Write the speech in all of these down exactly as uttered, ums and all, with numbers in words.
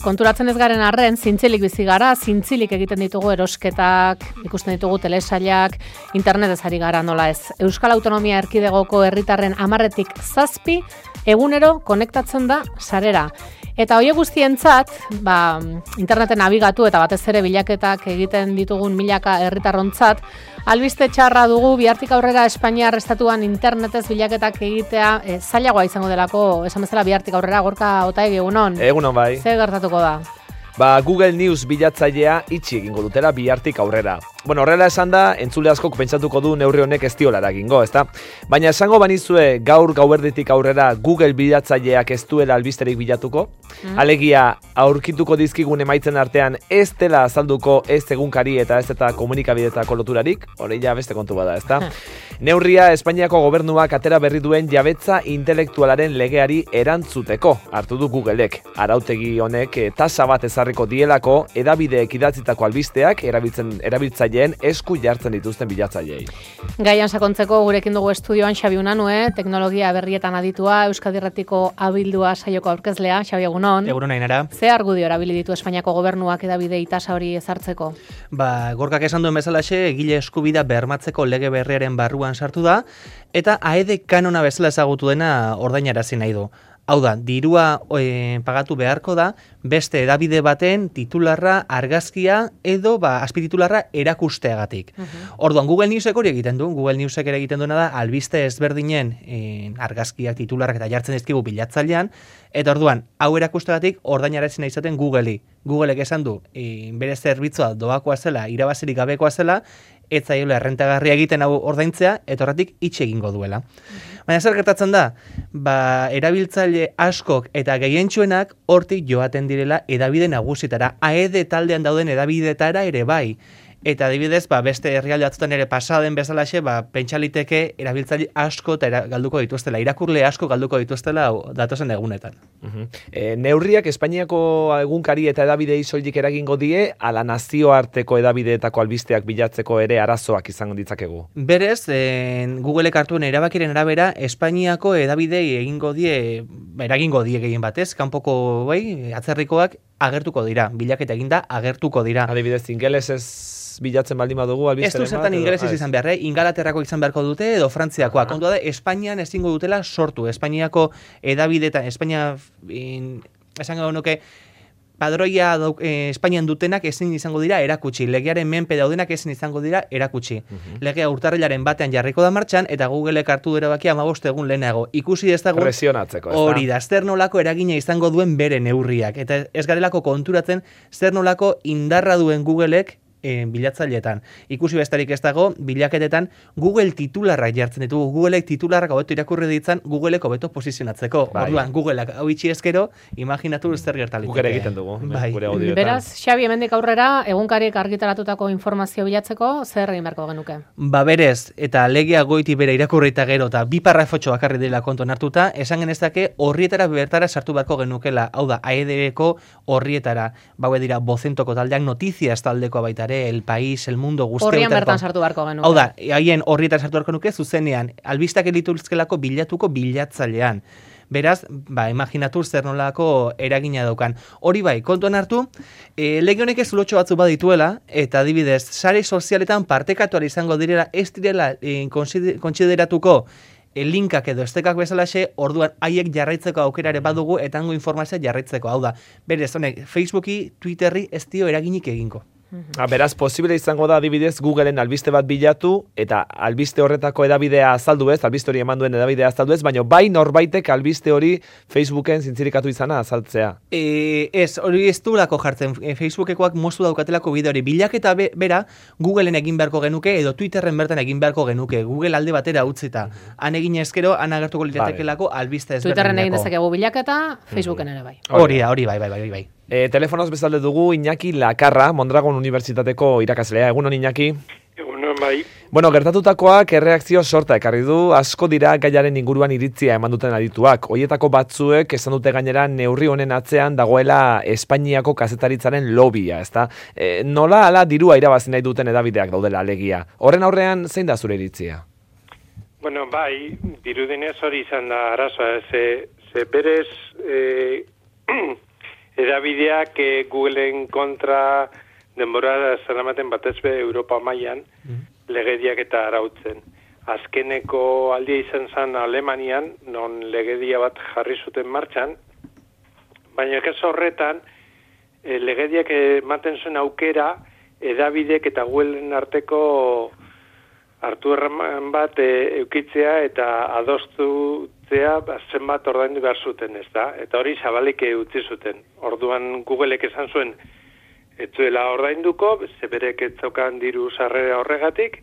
konturatzen ez garen arren, zintzilik bizi gara, zintzilik egiten ditugu erosketak, ikusten ditugu telesailak, internetez ari gara nola ez. Euskal Autonomia Erkidegoko herritarren hamarretik zazpi, egunero konektatzen da sarera. Eta horiek guztientzat, ba, interneten nabigatu eta batez ere bilaketak egiten ditugun milaka herritarrontzat, albiste txarra dugu bihartik aurrera Espainiar estatuan internetez bilaketak egitea e, zailagoa izango delako, esan bezala bihartik aurrera. Gorka Otaegi, egunon. Egunon bai. Ze gertatuko da? Ba, Google News bilatzailea itxi egingo dutela bihartik aurrera. Bueno, horrela esan da, entzule askok pentsatuko du neurri honek ez diolara egingo, ezta? Baina esango banizue gaur gauerditik aurrera Google bilatzaileak ez duela albisterik bilatuko? Mm. Alegia, aurkituko dizkigun emaitzen artean ez dela azalduko ez egunkari eta ez eta komunikabidetako loturarik? Hori ja beste kontu bada, ezta? Neurria Espainiako gobernuak atera berri duen jabetza intelektualaren legeari erantzuteko hartu du Googleek. Arautegi honek eh, tasa bat ezarriko dielako edabideek idatzitako albisteak erabiltzen erabiltzaileen esku jartzen dituzten bilatzaileei. Gaian sakontzeko gurekin dugu estudioan Xabi Unanue, teknologia berrietan aditua, Euskadi Irratiko abildua saioko aurkezlea. Xabi, egunon. Egunon, Ainara. Ze argudio erabili ditu Espainiako gobernuak edabidei tasa hori ezartzeko? Ba, Gorkak esan duen bezalaxe, egile eskubidea bermatzeko lege berriaren barruan sartu da, eta A E D kanona bezala ezagutu dena ordainarazi nahi du. Hau da, dirua e, pagatu beharko da, beste edabide baten titularra, argazkia edo ba, azpititularra erakusteagatik. Uh-huh. Orduan, Google Newsek hori egiten du. Google Newsek ere egiten duena da, albiste ezberdinen e, argazkiak, titularrak eta jartzen dizkigu bilatzailean, eta orduan, hau erakusteagatik ordainarazi nahi izaten Googleri. Googleek esan du, e, bere zerbitzua doakoa zela, irabazirik gabekoa zela, ez zaiola errentagarria egiten hau ordaintzea, eta horretik itxe egingo duela. Baina zer gertatzen da? Ba, erabiltzaile askok eta gehientsuenak hortik joaten direla edabide nagusitara. A E D taldean dauden edabidetara ere bai. Eta adibidez, ba, beste herrialde batzuetan ere pasaden bezalaxe, ba, pentsaliteke erabiltzaile asko eta era, galduko dituztela, irakurle asko galduko dituztela datozen egunetan. Uh-huh. E, neurriak Espainiako egunkari eta edabidei soilik eragingo die, ala nazioarteko edabideetako albisteak bilatzeko ere arazoak izango ditzakegu. Berez, e, Googleek hartuen erabakiren arabera, Espainiako edabidei egingo die, eragingo die gehien batez, kanpoko bai, atzerrikoak agertuko dira, bilaketa eginda agertuko dira. Adibidez, ingelesez bilatzen baldin badugu albisteren bat. Ez du zertan ingelesez izan behar, eh? Ingalaterrako izan beharko dute edo Frantziakoa. Uh-huh. Kontua da, Espainian ezingo dutela sortu. Espainiako edabidetan, Espainia, in, esan gau nuke, padroia eh, Espainian dutenak ezin izango dira erakutsi. Legearen menpe daudenak ezin izango dira erakutsi. Uh-huh. Legea urtarrilaren batean jarriko da martxan, eta Googleek hartu du erabakia hamabost egun lehenago. Ikusi ez dago presionatzeko, ez da? Hori da, zer nolako eragina izango duen bere neurriak. Eta ez garelako konturatzen zer nolako indarra duen Googleek E, bilatzaileetan. Ikusi bestarik ez dago, bilaketetan Google titularrak jartzen ditugu. Googleek titularrak hobeto irakurri ditzan, Googleek hobeto posizionatzeko. Bai. Orduan, Googleak hau itxi ezkero, imaginatu zer gertaliteke. Guk ere egiten dugu. Bai. Beraz, Xabi, hemendik aurrera, egunkarik argitaratutako informazio bilatzeko, zer egin beharko genuke? Ba berez, eta legea goiti bera irakurrita gero, eta bi parrafotxo bakarri dela kontuan hartuta, esan genezake horrietara bertara sartu beharko genukela. Hau da, A E D-eko horrietara. Baue dira, bozentoko taldeak, notiziaz taldeko baita El País, El Mundo, guztia. Horrian bertan sartu beharko genuke. Hau da, haien horrietan sartu beharko nuke, zuzenean, albistak elituzkelako bilatuko bilatzailean. Beraz, ba, imaginatu zer nolako eragina daukan. Hori bai, kontuan hartu, e, lege honek ez lotxo batzu badituela, eta adibidez, sare sozialetan partekatual izango direla, ez direla e, kontsideratuko e, linkak edo estekak bezalaxe, orduan haiek jarraitzeko aukerare badugu, eta hango informazioa jarraitzeko. Hau da, berez, honek, Facebooki, Twitterri ez dio eraginik egingo. Uh-huh. Beraz, posible izango da adibidez Googleen albiste bat bilatu eta albiste horretako edabidea azaldu ez, albiste hori eman duen edabidea azaldu ez, baina bai norbaitek albiste hori Facebooken zintzirikatu izana azaltzea. E, ez, hori ez du lako jartzen, e, Facebookekoak moztu daukatelako bide hori. Bilaketa be, bera, Googleen egin beharko genuke edo Twitterren bertan egin beharko genuke. Google alde batera utzita. Uh-huh. Han egin ezkero, han agertuko liratekelako albiste ezberdineko. Twitterren egin dezakegu bilaketa, Facebooken ere bai. Hori da, hori bai, bai, bai, bai. E, telefonoz bezalde dugu Iñaki Lakarra, Mondragon Unibertsitateko irakaslea. Egunon, Iñaki? Egunon, bai. Bueno, gertatutakoak erreakzio sorta ekarri du, asko dira gaiaren inguruan iritzia eman duten adituak. Hoietako batzuek esan dute gainera neurri honen atzean dagoela Espainiako kazetaritzaren lobia, ezta? E, nola ala dirua irabazi nahi duten edabideak daudela alegia. Horren aurrean zein da zure iritzia? Bueno, bai, dirudenez hori izan da arazoa, ze, ze berez... E, edabideak e, Googleen kontra denbora zeramaten batez be Europa mailan legediak eta arautzen. Azkeneko aldia izan zen Alemanian, non legedia bat jarri zuten martxan, baina ez horretan, e, legediak ematen zuen aukera, edabidek eta Googleen arteko hartu erraman bat e, eukitzea eta adostutzea zenbat ordaindu behar zuten, ez da? Eta hori zabalik utzi zuten. Orduan Googleek esan zuen, ez zuela ordainduko, zeberek ez zaukan diru sarrera horregatik,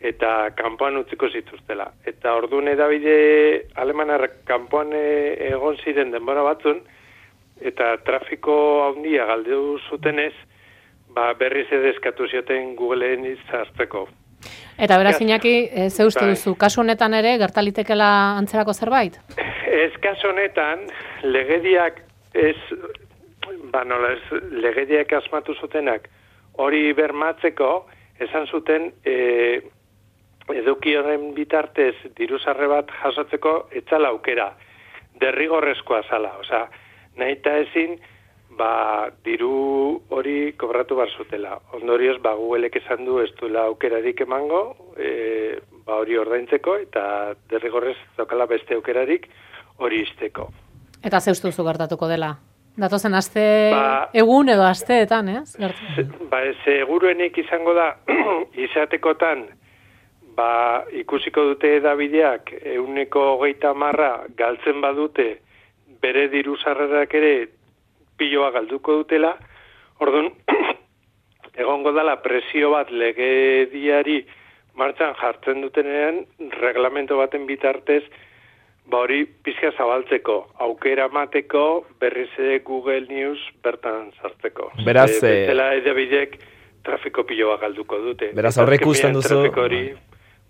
eta kanpoan utziko zituztela. Eta orduan edabide alemanar kanpoan egon ziren denbora batzun, eta trafiko handia galdu zutenez, ba, berriz edeskatu zioten Googleen izazteko. Eta beraz, Iñaki, ze uste duzu, kasu honetan ere, gertalitekela antzerako zerbait? Ez kasu honetan, legediak ez, ba nola ez, legediak asmatu zutenak, hori bermatzeko, esan zuten, e, eduki horren bitartez diruzarre bat jasotzeko etzala aukera, derrigorrezkoa zala, osea, nahi eta ezin, ba, diru hori kobratu bar zutela. Ondorioz, ba, Googleek esan du ez duela aukerarik emango, e, ba, hori ordaintzeko, eta derrigorrez zokala beste aukerarik hori izteko. Eta ze uste duzu gertatuko dela? Datozen aste Ba- egun edo asteetan, ez? Se- Ba, seguruenik izango da, izatekotan, ba, ikusiko dute edabideak euneko hogeita marra galtzen badute, bere diru sarrerak ere piloa galduko dutela, orduan, egongo dala presio bat legediari martxan jartzen dutenean, reglamento baten bitartez, ba hori pizka zabaltzeko, aukera mateko, berriz ere Google News bertan sartzeko. Beraz, e, eh, bezala edabidek trafiko piloa galduko dute. Beraz, Eta aurreikusten azkenean duzu- Trafiko hori,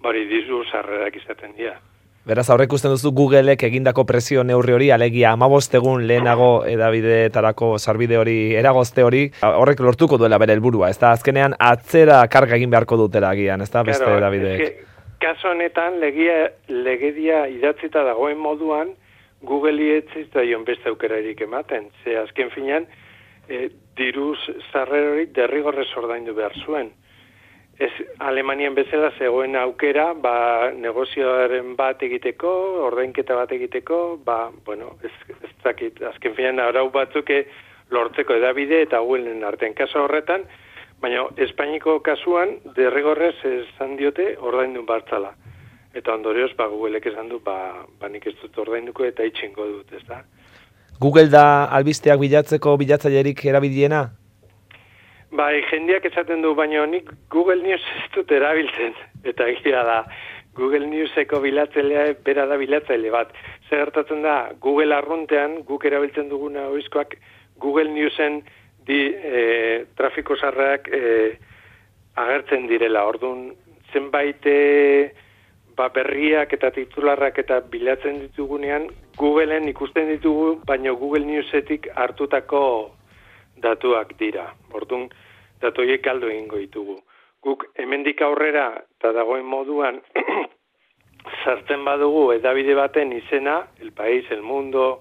bari dizu sarrerak izaten dira. Beraz, aurre ikusten duzu Googleek egindako presio neurri hori, alegia hamabost egun lehenago edabideetarako sarbide hori, eragozte hori, horrek lortuko duela bere helburua, ez da, azkenean atzera karga egin beharko dutela agian, ez da, beste Claro, edabideek. eske, kaso honetan, legia, legedia idatzita dagoen moduan, Google ez daion beste aukerarik ematen. Ze azken finean, e, diruz sarrerorik derrigorrez ordaindu behar zuen. Ez Alemanian bezala zegoen aukera, ba, negozioaren bat egiteko, ordainketa bat egiteko, ba, bueno, ez, ez dakit, azken finean arau batzuke lortzeko edabide eta Googleen artean kaso horretan, baina Espainiko kasuan derrigorrez esan diote ordaindu bartzala. Eta ondorioz, ba, Googleek esan du, ba, ba nik ez dut ordainduko eta itxingo dut, ez da? Google da albisteak bilatzeko bilatzailerik erabiliena? Bai, jendeak esaten du, baina nik Google News ez dut erabiltzen. Eta egia da, Google Newseko bilatzailea bera da bilatzaile bat. Zer gertatzen da, Google arruntean, guk erabiltzen duguna oizkoak, Google Newsen di, e, trafiko sarreak e, agertzen direla. Orduan, zenbait e, ba, berriak eta titularrak eta bilatzen ditugunean, Googleen ikusten ditugu, baina Google Newsetik hartutako datuak dira. Orduan, datu horiek galdu egingo ditugu. Guk hemendik aurrera eta dagoen moduan sartzen badugu edabide baten izena, El País, El Mundo,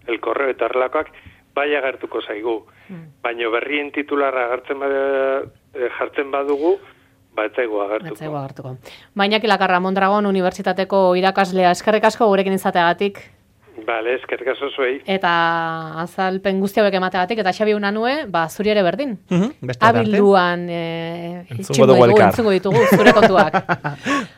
El Correo eta horrelakoak, bai agertuko zaigu. Mm. Baina berrien titularra agertzen bad, jartzen badugu, ba ez zaigu agertuko. Ez zaigu agertuko. Baina Kilakarra Mondragon Unibertsitateko irakaslea, eskerrik asko gurekin izateagatik. Bale, eskerrik asko zuei. Eta azalpen guzti hauek emateagatik, eta Xabi Unanue, ba, zuri ere berdin. Mhm, beste arte. Abilduan e, Entzungo dugu elkar. entzungo ditugu zure kontuak.